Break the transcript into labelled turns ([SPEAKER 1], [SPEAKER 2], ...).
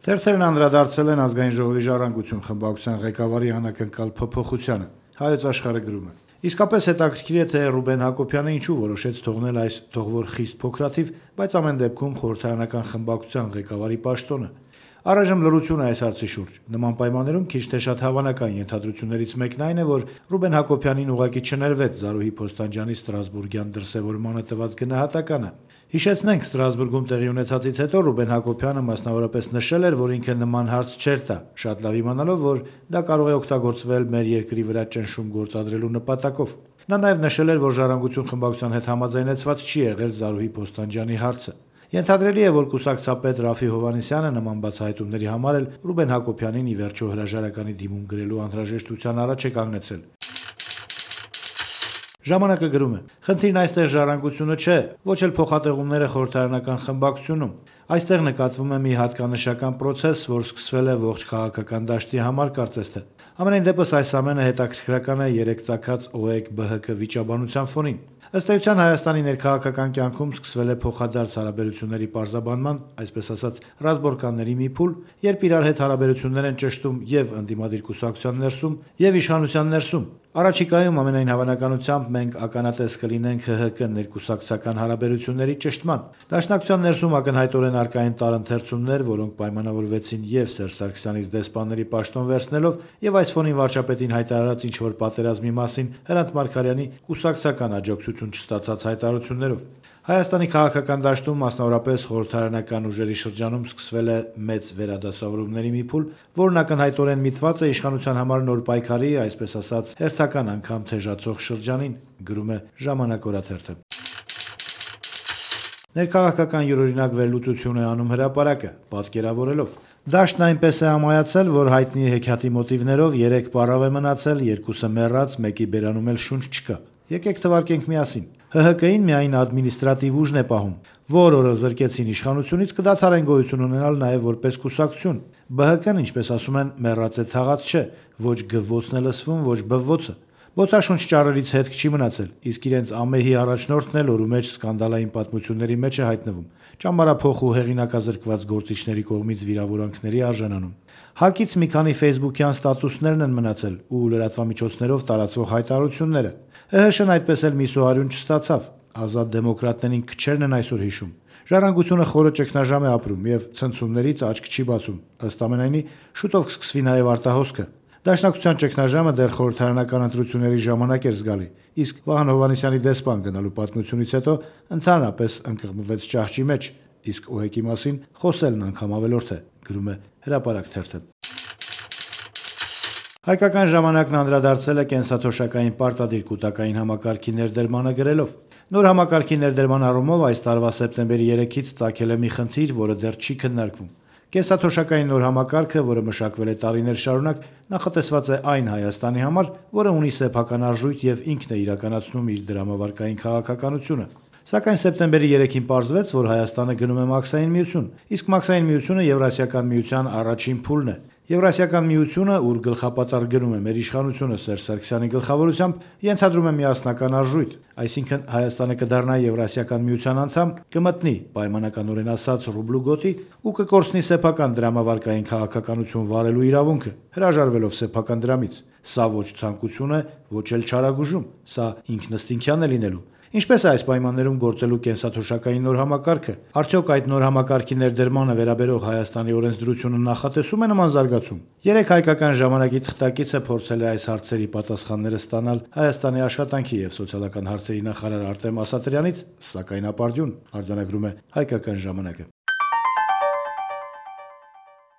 [SPEAKER 1] Թերթերն անդրադարձել են Ազգային ժողովի ժառանգություն խմբակցության ղեկավարի անակնկալ փոփոխությանը։ Հայոց աշխարհը գրում է. Իսկապես հետաքրքիր է, թե Ռուբեն Հակոբյանը ինչու որոշեց թողնել այս թողվոր խիստ փոքրաթիվ, բայց ամեն դեպքում խորհրդարանական խմբակցության ղեկավարի պաշտոնը։ Առայժմ լրություն է այս հարցի շուրջ։ Նման պայմաններում քիչ թե շատ հավանական ենթադրություններից մեկն այն է, որ Ռուբեն Հակոբյանին ուղղակի չներվեց Զարուհի Փոստանջյանի Ստրասբուրգյան դրսևորմանը տված գնահատականը։ Հիշեցնենք, Ստրասբուրգում տեղի ունեցածից հետո Ռուբեն Հակոբյանը մասնավորապես նշել էր, որ ինքը նման հարց չէր տա, շատ լավ իմանալով, որ դա կարող է օգտագործվել մեր երկրի վրա ճնշում գործադրելու նպատակով։ Նա նաև նշել էր, որ ժառանգություն խմբակցության հետ համաձայնեցված չի եղել Զարուհի Փոստանջյանի հարցը։ Ենթադրելի է, որ կուսակցապետ Ռաֆի Հովհաննիսյանը նման բացահայտումների համար էլ Ռուբեն Հակոբյանին ի վերջո հրաժարականի դիմում գրելու անհրաժեշտության առաջ է կանգնեցել։ Ժամանակը գրում է. խնդիրն այստեղ ժառանգությունը չէ, ոչ էլ փոխատեղումները խորհրդարանական խմբակցությունում։ Այստեղ նկատվում է մի հատկանշական process, որ սկսվել է ողջ քաղաքական դաշտի համար, կարծես թե։ Ամենայն դեպս այս ամենը հետաքրքրական է երեք ծագած ՕԵԿ-ԲՀԿ վիճաբանության ֆոնին։ Ըստ էության Հայաստանի ներքաղաքական կյանքում սկսվել է փոխադարձ հարաբերությունների պարզաբանման, այսպես ասած, ռազմորկանների մի փուլ, երբ իրար հետ հարաբերություններ են ճշտում եւ ընդդիմադիր կուսակցության ներսում, եւ իշխանության ներսում։ Առաջիկայում ամենայն հավանականությամբ մենք ականատես կլինենք ՀՀԿ ներկուսակցական հարաբերությունների ճշտման։ Դաշնակցության ներսում ակնհայտորեն առկա են տարընթերցումներ, որոնք պայմանավորվեցին եւ Սերժ Սարգսյանից դեսպանների պաշտոն վերցնելով, եւ այս ֆոնին վարչապետին հայտարարած ինչ-որ պատերազմի մասին Հրանտ Մարգարյանի կուսակցական աջակցություն չստացած հայտարարություններով։ Հայաստանի քաղաքական դաշտում, մասնավորապես խորհրդարանական ուժերի շրջանում սկսվել է մեծ վերադասավորումների մի փուլ, որն ակնհայտորեն միտված է իշխանության համար նոր պայքարի, այսպես ասած, հերթական անգամ թեժացող շրջանին, գրում է Ժամանակ օրաթերթը։ Ներքաղաքական յուրօրինակ վերլուծություն է անում հրապարակը, պատկերավորելով. Դաշտն այնպես է ամայացել, որ հայտնի հեքիաթի մոտիվներով 3 պառավ է մնացել, 2-ը մեռած, մեկի բերանում էլ շունչ չկա։ Եկեք թվարկենք միասին։ ՀՀԿ-ին միայն ադմինիստրատիվ ուժն է պահում, որ օրը զրկեցին իշխանությունից, կդադարեն գոյություն ունենալ նաև որպես կուսակցություն։ ԲՀԿ-ն, ինչպես ասում են, մեռած է թաղած չէ, ոչ գվվոցն է լսվում, ոչ բվվոցը։ Բոցաշունչ ճառերից հետք չի մնացել, իսկ իրենց ամեհի առաջնորդն էլ օրու մեջ սկանդալային պատմությունների մեջ է հայտնվում, ճամբարափոխ ու հեղինակազրկված գործիչների կողմից վիրավորանքների արժանանում։ ՀԱԿ-ից մի քանի ֆեյսբուքյան ստատուսներն են մնացել ու լրատվամիջոցներով տարածվող հայտարարությունները։ ՀՀՇ-ն այդպես էլ մի սոհարյուն չստացավ, ազատ դեմոկրատներին քչերն են այսօր հիշում։ Ժառանգությունը խորը ճգնաժամ է ապրում եւ ցնցումներից աչք չի բացում։ Ըստ ամենայնի, շուտով կսկսվի նաեւ արտահոսքը։ Դաշնակցության ճգնաժամը դեռ խորհրդարանական ընտրությունների ժամանակ էր զգալի, իսկ Վահան Հովհաննիսյանի դեսպան գնալու պատմությունից հետո ընդհանրապես ընկղմվեց ճահճի մեջ, իսկ ՕԵԿ-ի մասին խոսելն անգամ ավելորդ է, գրում է Հրապարակ թերթը։ Հայկական ժամանակն անդրադարձել է կենսաթոշակային պարտադիր կուտակային համակարգի ներդրմանը գրելով. Նոր համակարգի ներդրման առումով այս տարվա սեպտեմբերի 3-ից ծագել է մի խնդիր, որը դեռ չի քննարկվում։ Կենսաթոշակային նոր համակարգը, որը մշակվել է տարիներ շարունակ, նախատեսված է այն Հայաստանի համար, որը ունի սեփական արժույթ եւ ինքն է իրականացնում իր դրամավարկային քաղաքականությունը։ Սակայն սեպտեմբերի 3-ին պարզվեց, որ Հայաստանը գնում է Մաքսային միություն, իսկ Մաքսային միությունը Եվրասիական միության առաջին փուլն է։ Եվրասիական միությունը, ուր գլխապատառ գնում է մեր իշխանությունը Սերժ Սարգսյանի գլխավորությամբ, ենթադրում է միասնական արժույթ, այսինքն Հայաստանը կդառնա Եվրասիական միության անդամ, կմտնի պայմանականորեն ասած ռուբլու գոտի ու կկորցնի սեփական դրամավարկային քաղաքականություն վարելու իրավունքը, հրաժարվելով սեփական դրամից։ Սա ոչ ցանկություն է, ոչ էլ չարագուժում, սա ինքնըստինքյան է լինելու։ Ինչպես է այս պայմաններում գործելու կենսաթոշակային նոր համակարգը։ Արդյոք այդ նոր համակարգի ներդրմանը վերաբերող Հայաստանի օրենսդրությունը նախատեսում է նման զարգացում։ Երեք հայկական ժամանակի թղթակիցը փորձել է այս հարցերի պատասխանները ստանալ Հայաստանի աշխատանքի եւ սոցիալական հարցերի նախարար Արտեմ Ասատրյանից, սակայն ապարդյուն, արձանագրում է Հայկական ժամանակը։